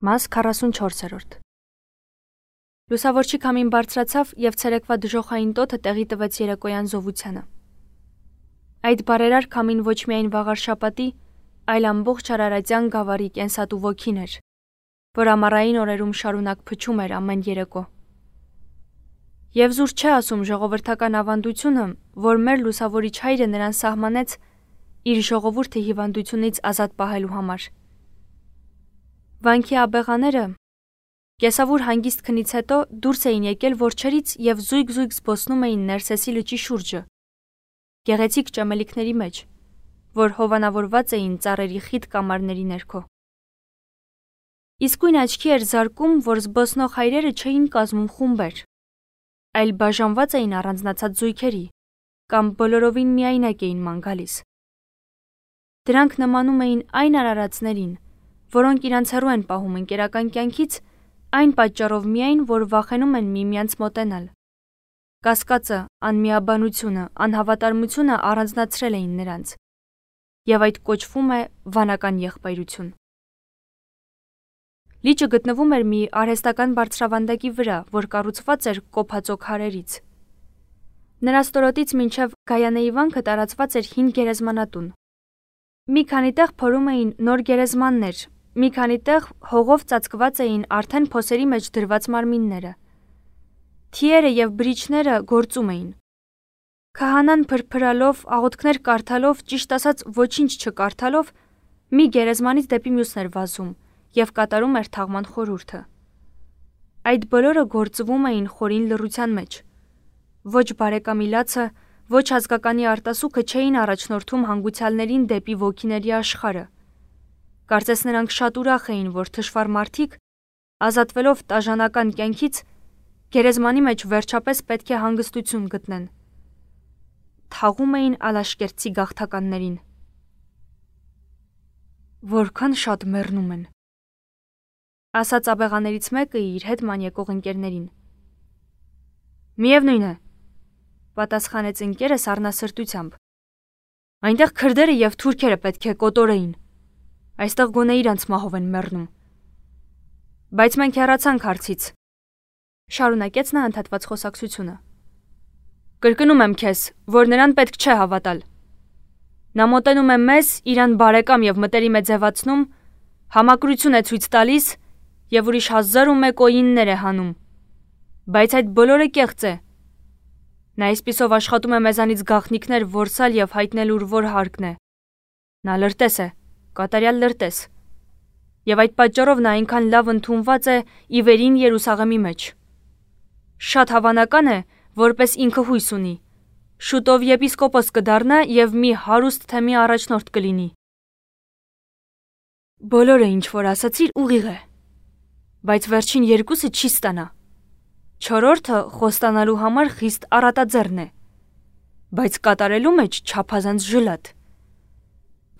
Մաս 44 Լուսավորչի քամին բարձրացավ և ցերեկվա դժոխային տոթը տեղի տվեց երեկոյան զովությանը։ Այդ բարերար քամին ոչ միայն վաղար շաբաթի, այլ ամբողջ արարատյան գավառի կենսատու ոգին էր, որ ամառային օրերում շարունակ փչում էր ամեն երեկո։ Եվ զուր չէ ասում ժողովրդական ավանդությունը, որ մեր լուսավորիչ հայրը նրան սահմանեց իր ժողովուրդը հիվանդությունից ազատ պահելու համար։ Վանքի աբեղաները կեսավուր հանգիստ քնից հետո դուրս էին եկել որջերից և զույգ-զույգ զբոսնում էին Ներսեսի լճի շուրջը, գեղեցիկ ճեմելիքների մեջ, որ հովանավորված էին ծառերի խիտ կամարների ներքո։ Իսկույն աչքի էր զարկում, որ զբոսնող հայրերը չէին կազմում խումբեր, այլ բաժանված էին առանձնացած զույգերի, կամ բոլորովին միայնակ էին ման գալիս։ Դրանք նմանում էին այն արարածներին, որոնք իրանց հեռու են պահում ընկերական կյանքից, այն պատճառով միայն, որ վախենում են միմյանց մոտենալ։ Կասկածը, անմիաբանությունը, անհավատարմությունը առանձնացրել էին նրանց, և այդ կոչվում է վանական եղբայրություն։ Լիճը գտնվում էր մի արհեստական բարձրավանդակի վրա, որ կառուցված էր կոփածո քարերից։ Նրա ստորոտից մինչև Գայանեի վանքը տարածված էր հին գերեզմանատուն։ Մի քանի տեղ փորում էին նոր գերեզմաններ, մի քանի տեղ հողով ծածկված էին արդեն փոսերի մեջ դրված մարմինները։ Թիերը և բրիչները գործում էին։ Քահանան փրփրալով, աղոթքներ կարդալով, ճիշտ ասած ոչինչ չկարդալով, մի գերեզմանից դեպի մյուսն էր վազում և կատարում էր թաղման խորհուրդը։ Այդ բոլորը գործվում էին խորին լռության մեջ։ Ոչ բարեկամի լացը, ոչ ազգականի արտասուքը չէին առաջնորդում հանգուցյալներին դեպի ոգիների աշխարհը։ Կարծես նրանք շատ ուրախ էին, որ թշվառ մարդիկ, ազատվելով տաժանական կյանքից, գերեզմանի մեջ վերջապես պետք է հանգստություն գտնեն։ Թաղում էին ալաշկերտցի գաղթականներին։ Որքան շատ մեռնում են, ասաց աբեղաներից մեկը իր հետ ման եկող ընկերներին։ Միևնույն է, պատասխանեց ընկերը սառնասրտությամբ։ Այնտեղ քրդերը և թուրքերը պետք է կոտորեին։ Այստեղ գոնե իրանց մահով են մեռնում։ Բայց մենք հեռացանք հարցից, շարունակեց նա ընդհատված խոսակցությունը։ Կրկնում եմ քեզ, որ նրան պետք չէ հավատալ։ Նա մոտենում է մեզ, իրան բարեկամ և մտերիմ է ձևացնում, համակրություն է ցույց տալիս և ուրիշ 1001 օիններ է հանում։ Բայց այդ բոլորը կեղծ է։ Նա այսպիսով աշխատում է մեզանից գաղտնիքներ որսալ և հայտնել ուր որ հարկն է։ Նա լրտես է, կատարյալ լրտես։ Եվ այդ պատճառով նա այնքան լավ ընդունված է ի վերին Երուսաղեմի մեջ։ Շատ հավանական է, որպես ինքը հույս ունի, շուտով եպիսկոպոս կդառնա և մի հարուստ թեմի առաջնորդ կլինի։ Բոլորը ինչ որ ասացիր ուղիղ է, բայց վերջին երկուսը չի ստանա։ Չորրորդը խոստանալու համար խիստ առատաձեռն է, բայց կատարելու մեջ չափազանց ժլատ։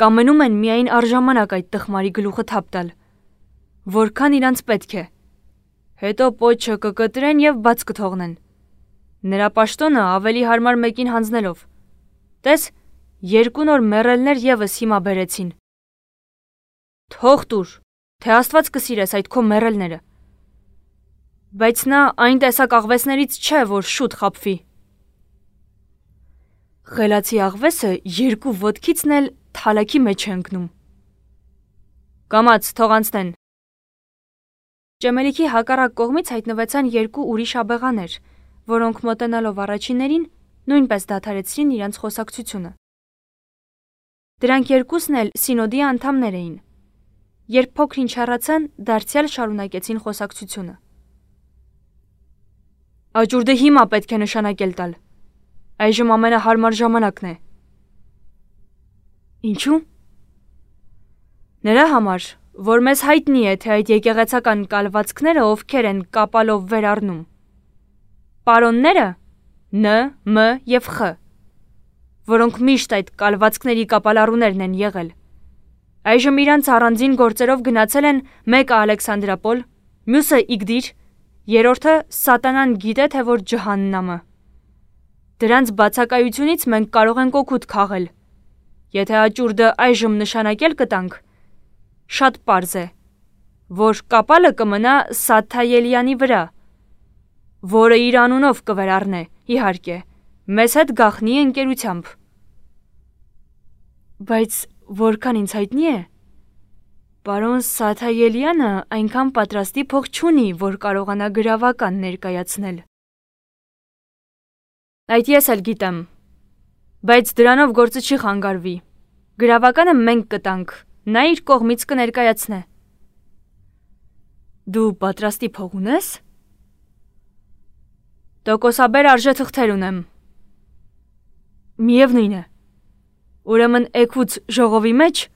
Կամենում են միայն առժամանակ այդ տխմարի գլուխը թափ տալ, որքան իրանց պետք է։ Հետո պոչը կկտրեն և բաց կթողնեն։ Նրա պաշտոնը ավելի հարմար մեկին հանձնելով։ Տես, 2 նոր մեռելներ ևս հիմա բերեցին։ Թող տուր, թե Աստված կսիրես այդ քո մեռելները։ Բայց նա այն տեսակ աղվեսներից չէ, որ շուտ խաբվի։ Խելացի աղվեսը 2 ոտքիցն էլ թալաքի մեջ է ընկնում։ Կամաց թող անցնեն։ Ճեմելիքի հակառակ կողմից հայտնվեցան 2 ուրիշ աբեղաներ, որոնք մոտենալով առաջիններին նույնպես դադարեցրին իրենց խոսակցությունը։ Դրանք երկուսն էլ սինոդի անդամներ էին։ Երբ փոքր-ինչ հեռացան, դարձյալ շարունակեցին խոսակցությունը։ Աճուրդը հիմա պետք է նշանակել տալ։ Այժմ ամենահարմար ժամանակն է։ Ինչու՞։ Նրա համար, որ մեզ հայտնի է, թե այդ եկեղեցական կալվածքները ովքեր են կապալով վեր առնում։ Պարոնները Ն, Մ և Խ, որոնք միշտ այդ կալվածքների կապալառուներն են եղել։ Այժմ իրանց առանձին գործերով գնացել են մեկը Ալեքսանդրապոլ, մյուսը Իգդիր, երրորդը Սատանան գիտե թե որ ջհաննամը։ Դրանց բացակայությունից մենք կարող ենք օգուտ քաղել։ Եթե աճուրդը այժմ նշանակել կտանք, շատ պարզ է, որ կապալը կմնա Սաթայելյանի վրա, որը իր անունով կվերառնե, իհարկե, մեզ հետ գաղտնի ընկերությամբ։ Բայց որքան ինձ հայտնի է, պարոն Սաթայելյանը այնքան պատրաստի փող չունի, որ կարողանա գրավական ներկայացնել։ Այդ ես էլ գիտեմ, բայց դրանով գործը չի խանգարվի։ Գրավականը մենք կտանք, նա իր կողմից կներկայացնե։ Դու պատրաստի փող ունես։ Տոկոսաբեր արժե թղթեր ունեմ։ Միևնույն է։ Ուրեմն էգուց ժողովի մեջ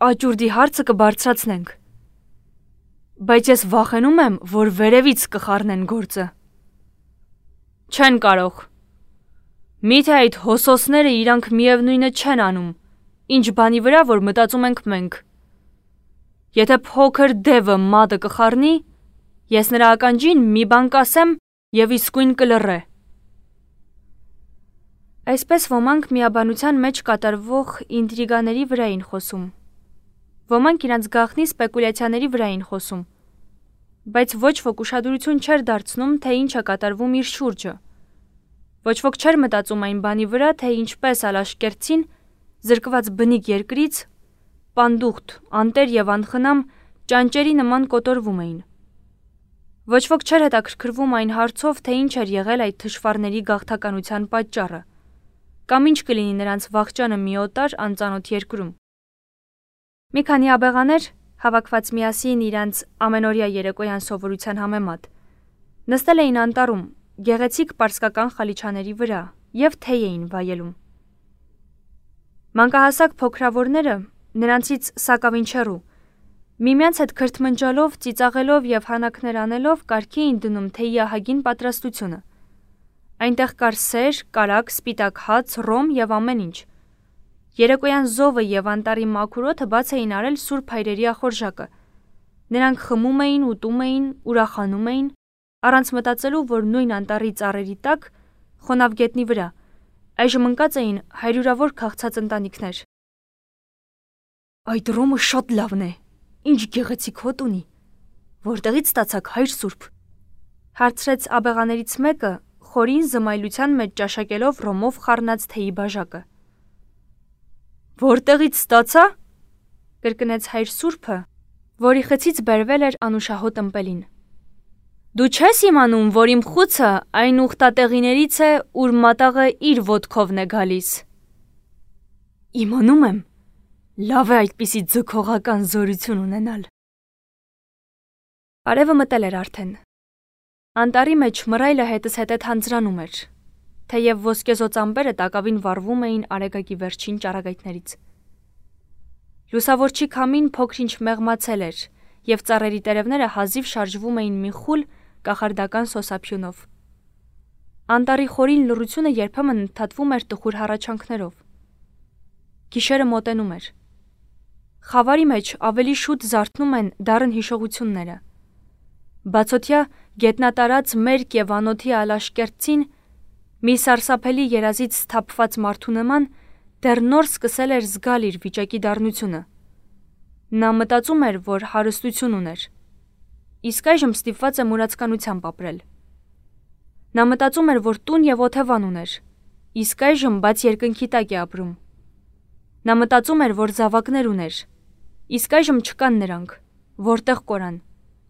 աճուրդի հարցը կբարձրացնենք։ Բայց ես վախենում եմ, որ վերևից կխառնեն գործը։ Չեն կարող։ Միթե այդ հոսոսները իրանք միևնույնը չեն անում, ինչ բանի վրա, որ մտածում ենք մենք։ Եթե փոքր դևը մատը կխառնի, ես նրա ականջին մի բան կասեմ և իսկույն կլռե։ Այսպես ոմանք միաբանության մեջ կատարվող ինտրիգաների վրա էին խոսում, ոմանք իրանց գաղտնի սպեկուլյացիաների վրա էին խոսում, բայց ոչ ոք ուշադրություն չէր դարձնում, թե ինչ է կատարվում իր շուրջը, ոչ ոք չէր մտածում այն բանի վրա, թե ինչպես Ալաշկերտցին, զրկված բնիկ երկրից, պանդուխտ, անտեր և անխնամ ճանճերի նման կոտորվում էին։ Ոչ ոք չէր հետաքրքրվում այն հարցով, թե ինչ էր եղել այդ թշվառների գաղթականության պատճառը, կամ ինչ կլինի նրանց վախճանը մի օտար անծանոթ երկրում։ Մի քանի աբեղաներ, հավաքված միասին իրանց ամենօրյա երեկոյան սովորության համեմատ, նստել էին անտառում, գեղեցիկ պարսկական խալիչաների վրա և թեյ էին վայելում։ Մանկահասակ փոքրավորները, նրանցից սակավինչեռու, միմյանց հետ քրթմնջալով, ծիծաղելով և հանաքներ անելով կարգի էին դնում թեյի ահագին պատրաստությունը։ Այնտեղ կար սեր, կարագ, սպիտակ հաց, ռոմ և ամեն ինչ։ Երեկոյան զովը և անտառի մաքուր օդը բաց էին արել սուրբ հայրերի ախորժակը։ Նրանք խմում էին, ուտում էին, ուրախանում էին, առանց մտածելու, որ նույն անտառի ծառերի տակ, խոնավ գետնի վրա, այժմ ընկած էին հարյուրավոր քաղցած ընտանիքներ։ Այդ ռոմը շատ լավն է, ինչ գեղեցիկ հոտ ունի, որտեղից ստացաք հայր սուրբ, հարցրեց աբեղաներից մեկը, խորին զմայլության մեջ ճաշակելով ռոմով խառնած թեյի բաժակը։ Որտեղից ստացա, կրկնեց հայր սուրբը, որի խցից բերվել էր անուշահոտ ըմպելին։ Դու չես իմանում, որ իմ խուցը այն ուխտատեղիներից է, ուր մատաղը իր ոտքովն է գալիս։ Իմանում եմ, լավ է այդպիսի ձգողական զորություն ունենալ։ Արևը մտել էր արդեն։ Անտառի մեջ մռայլը հետզհետե թանձրանում էր, թեև ոսկեզօծ ամպերը տակավին վառվում էին արեգակի վերջին ճառագայթներից։ Լուսավորչի քամին փոքր-ինչ մեղմացել էր, և ծառերի տերևները հազիվ շարժվում էին մի խուլ կախարդական սոսափյունով։ Անտառի խորին լռությունը երբեմն ընդհատվում էր տխուր հառաչանքներով։ Գիշերը մոտենում էր։ Խավարի մեջ ավելի շուտ զարթնում են դառն հիշողությունները։ Բացօթյա գետնատարած մերկ և անոթի Ալաշկերտցին, մի սարսափելի երազից սթափված մարդու նման, դեռ նոր սկսել էր զգալ իր վիճակի դառնությունը։ Նա մտածում էր, որ հարստություն ուներ, իսկ այժմ ստիպված է մուրացկանությամբ ապրել։ Նա մտածում էր, որ տուն և օթևան ուներ, իսկ այժմ բաց երկնքի տակ է ապրում։ Նա մտածում էր, որ զավակներ ուներ, իսկ այժմ չկան նրանք, որտեղ կորան,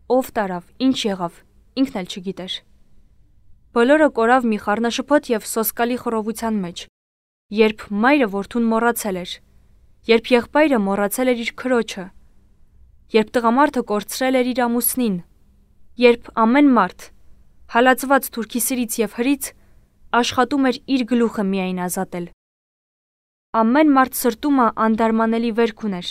ով տարավ, ինչ եղավ, ինքն էլ չգիտեր։ Բոլորը կորավ մի խառնաշփոթ և սոսկալի խռովության մեջ, երբ մայրը որդուն մոռացել էր, երբ եղբայրը մոռացել էր իր քրոջը, երբ տղամարդը կորցրել էր իր ամուսնին, երբ ամեն մարդ, հալածված թուրքիսրից և հրից, աշխատում էր իր գլուխը միայն ազատել։ Ամեն մարդ սրտումը անդարմանելի վերք ուներ։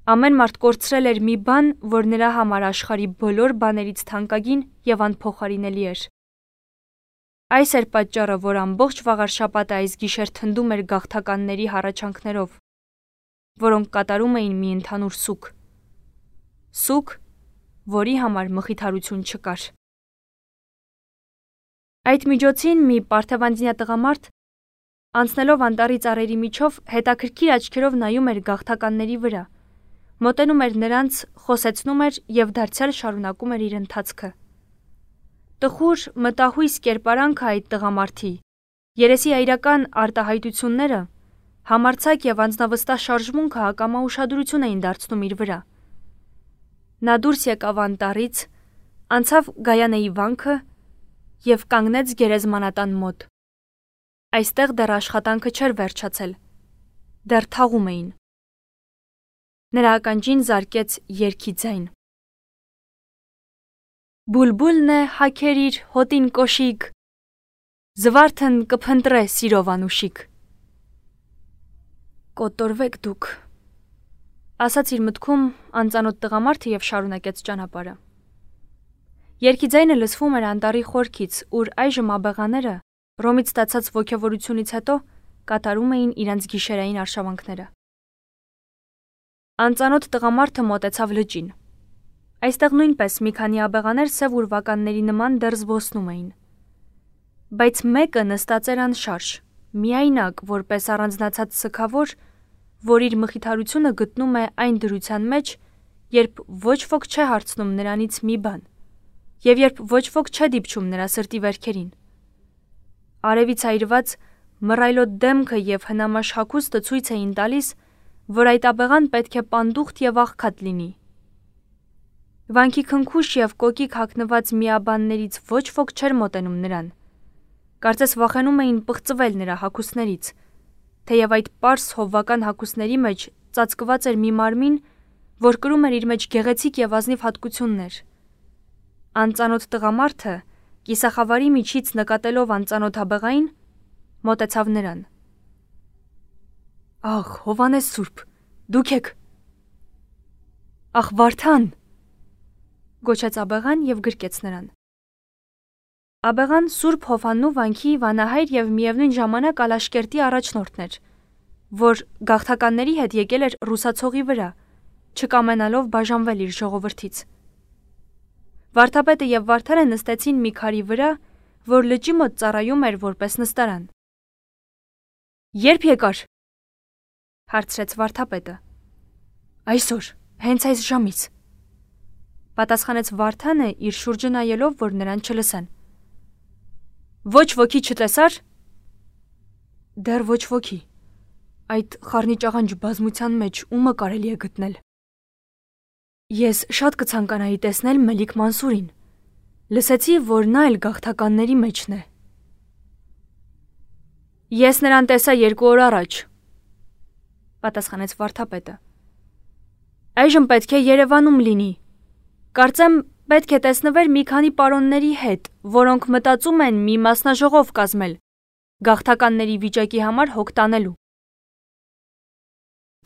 Ամեն մարդ կորցրել էր մի բան, որ նրա համար աշխարհի բոլոր բաներից թանկագին և անփոխարինելի էր։ Այս էր պատճառը, որ ամբողջ վաղարշաբաթը այս գիշեր թնդում էր գաղթականների հառաչանքներով, որոնք կատարում էին մի ընդհանուր սուգ։ Սուգ, որի համար մխիթարություն չկար։ Այդ միջոցին մի պարթևանձնյա տղամարդ, անցնելով անտառի ծառերի միջով, հետաքրքիր աչքերով նայում էր գաղթականների վրա, մոտենում էր նրանց, խոսեցնում էր և դարձյալ շարունակում էր իր ընթացքը։ Տխուր, մտահույս կերպարանքը այդ տղամարդի, երեսի այրական արտահայտությունները, համարձակ և անձնավստահ շարժմունքը ակամա ուշադրություն էին դարձնում իր վրա։ Նա դուրս եկավ անտառից, անցավ Գայանեի վանքը և կանգնեց գերեզմանատան մոտ։ Այստեղ դեռ աշխատանքը չէր վերջացել, դեռ թաղում էին։ Նրա ականջին զարկեց երգի ձայն. Բուլբուլն է հագեր իր հոտին կոշիկ, զվարթն կփնտրե սիրով անուշիկ։ Կոտորվեք դուք, ասաց իր մտքում անծանոթ տղամարդը և շարունակեց ճանապարհը։ Երգի ձայնը լսվում էր անտառի խորքից, ուր այժմ աբեղաները, Ռոմից ստացած ոգևորությունից հետո, կատարում էին իրենց գիշերային արշավանքները։ Անծանոթ տղամարդը մոտեցավ լճին։ Այստեղ նույնպես մի քանի աբեղաներ սև ուրվականների նման դեռ զբոսնում էին։ Բայց մեկը նստած էր անշարժ, միայնակ, որպես առանձնացած սգավոր, որ իր մխիթարությունը գտնում է այն դրության մեջ, երբ ոչ ոք չէ հարցնում նրանից մի բան, և երբ ոչ ոք չէ դիպչում նրա սրտի վերքերին։ Արևից այրված մռայլոտ դեմքը և հնամաշ հագուստը ցույց էին տալիս, որ այդ աբեղան պետք է պանդուխտ և աղքատ լինի։ Վանքի քնքուշ և կոկիկ հագնված միաբաններից ոչ ոք չէր մոտենում նրան։ Կարծես վախենում էին պղծվել նրա հագուստներից, թեև այդ պարզ հովվական հագուստների մեջ ծածկված էր մի մարմին, որ կրում էր իր մեջ գեղեցիկ և ազնիվ հատկություններ։ Անծանոթ տղամարդը, կիսախավարի միջից նկատելով անծանոթ աբեղային, մոտեցավ նրան։ Աղ, Հովհաննես Սուրբ, դուք եք։ Աղ, Վարդան, գոչեց աբեղան և գրկեց նրան։ Աբեղան Սուրբ Հովհաննու վանքի վանահայր և միևնույն ժամանակ Ալաշկերտի առաջնորդն էր, որ գաղթականների հետ եկել էր ռուսացողի վրա, չկամենալով բաժանվել իր ժողովրդից։ Վարդապետը և Վարդանը նստեցին մի քարի վրա, որ լճի մոտ ծառայում էր որպես նստարան։ Երբ եկար, հարցրեց վարդապետը։ Այսօր, հենց այս ժամից, պատասխանեց Վարդանը իր շուրջը նայելով, որ նրան չլսեն։ Ոչ ոքի չտեսար։ Դեռ ոչ ոքի։ Այդ խառնիճաղանջ բազմության մեջ ումը կարելի է գտնել։ Ես շատ կցանկանայի տեսնել Մելիք Մանսուրին։ Լսեցի, որ նա էլ գաղթականների մեջն է։ Ես նրան տեսա 2 օր առաջ, պատասխանեց վարդապետը։ Այժմ պետք է Երևանում լինի։ Կարծեմ պետք է տեսնվեր մի քանի պարոնների հետ, որոնք մտածում են մի մասնաժողով կազմել, գաղթականների վիճակի համար հոգ տանելու։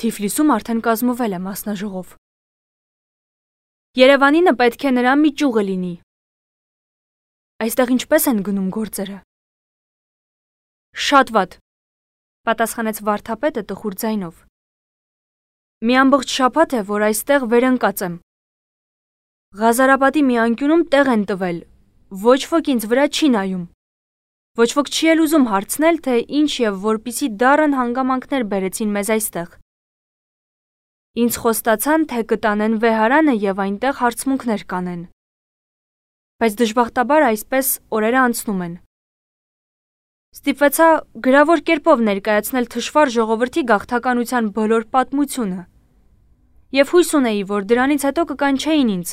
Թիֆլիսում արդեն կազմվել է մասնաժողով։ Երևանինը պետք է նրա մի ճյուղը լինի։ Այստեղ ինչպես են գնում գործերը։ Շատ վատ, պատասխանեց վարդապետը տխուր ձայնով։ Մի ամբողջ շաբաթ է, որ այստեղ վերընկած եմ։ Ղազարաբադի մի անկյունում տեղ են տվել, ոչ ոք ինձ վրա չի նայում։ Ոչ ոք չի էլ ուզում հարցնել, թե ինչ և որպիսի դառն հանգամանքներ բերեցին մեզ այստեղ։ Ինձ խոստացան, թե կտանեն վեհարանը և այնտեղ հարցմունքներ կանեն։ Բայց դժբախտաբար այսպես օրերը անցնում են։ Ստիպվեցա գրավոր կերպով ներկայացնել թշվառ ժողովրդի գաղթականության բոլոր պատմությունը։ Եվ հույս ունեի, որ դրանից հետո կկանչեին ինձ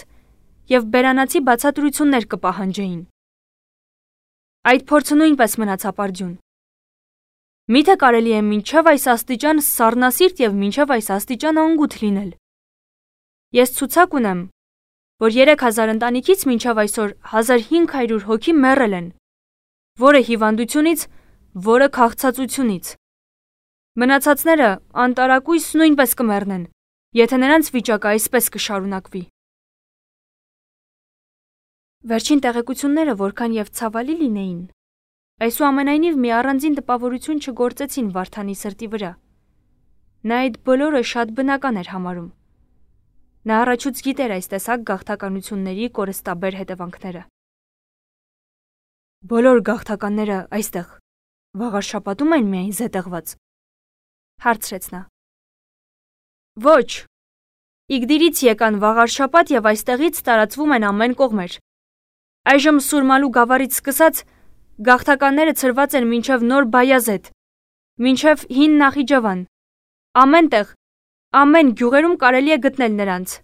և բերանացի բացատրություններ կպահանջեին։ Այդ փորձը նույնպես մնաց ապարդյուն։ Միթե կարելի է մինչև այս աստիճան սառնասիրտ և մինչև այս աստիճան անգութ լինել։ Ես ցուցակ ունեմ, որ 3000 ընտանիքից մինչև այսօր 1500 հոգի մեռել են, որը հիվանդությունից, որը քաղցածությունից։ Մնացածները անտարակույս նույնպես կմեռնեն, եթե նրանց վիճակը այսպես կշարունակվի։ Վերջին տեղեկությունները որքան և ցավալի լինեին, այսուամենայնիվ մի առանձին տպավորություն չգործեցին Վարդանի սրտի վրա։ Նա այդ բոլորը շատ բնական էր համարում։ Նա առաջուց գիտեր այս տեսակ գաղթականությունների կորստաբեր հետևանքները։ Բոլոր գաղթականները այստեղ վաղարշաբաթում են միայն զետեղված, հարցրեց նա։ Ոչ, Իգդիրից եկան վաղարշապատ եւ այստեղից տարածվում են ամեն կողմեր։ Այժմ Սուրմալու գավառից սկսած գաղթականները ցրված են մինչև Նոր Բայազեդ, մինչև Հին Նախիջավան։ Ամեն տեղ, ամեն գյուղերում կարելի է գտնել նրանց։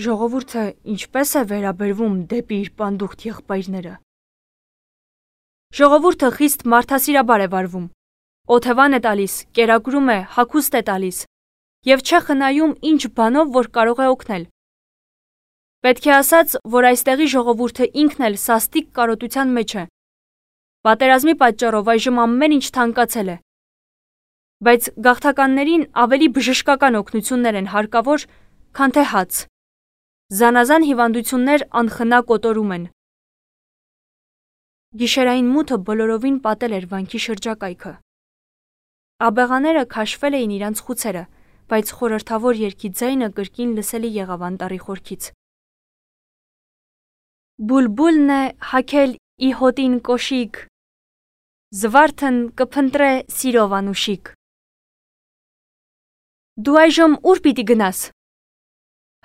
Ժողովուրդը ինչպես է վերաբերվում դեպի իր պանդուխտ եղբայրները։ Ժողովուրդը խիստ մարդասիրաբար է վարվում։ Օթևան է տալիս, կերակրում է, հագուստ է տալիս եւ չէ խնայում ինչ բանով, որ կարող է օգնել։ Պետք է ասած, որ այստեղի ժողովուրդը ինքն էլ սաստիկ կարոտության մեջ է։ Պատերազմի պատճառով այժմ ամեն ինչ թանկացել է։ Բայց գաղթականներին ավելի բժշկական օգնություններ են հարկավոր, քան թե հաց։ Զանազան հիվանդություններ անխնա կոտորում են։ Գիշերային մութը բոլորովին պատել էր վանքի շրջակայքը։ Աբեղաները քաշվել էին իրանց խուցերը, բայց խորհրդավոր երգի ձայնը կրկին լսելի եղավ անտառի խորքից։ Բուլբուլն է հագել ի հոտին կոշիկ, զվարթն կփնտրե սիրով անուշիկ։ Դու այժմ ուր պիտի գնաս,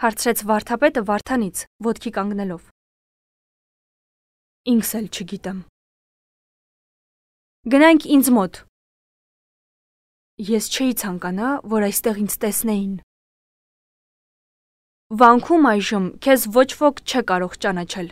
հարցրեց վարդապետը Վարդանից, ոտքի կանգնելով։ Ինքս էլ չգիտեմ։ Գնանք ինձ մոտ։ Ես չէի ցանկանա, որ այստեղ ինձ տեսնեին։ Վանքում այժմ քեզ ոչ ոք չէ կարող ճանաչել։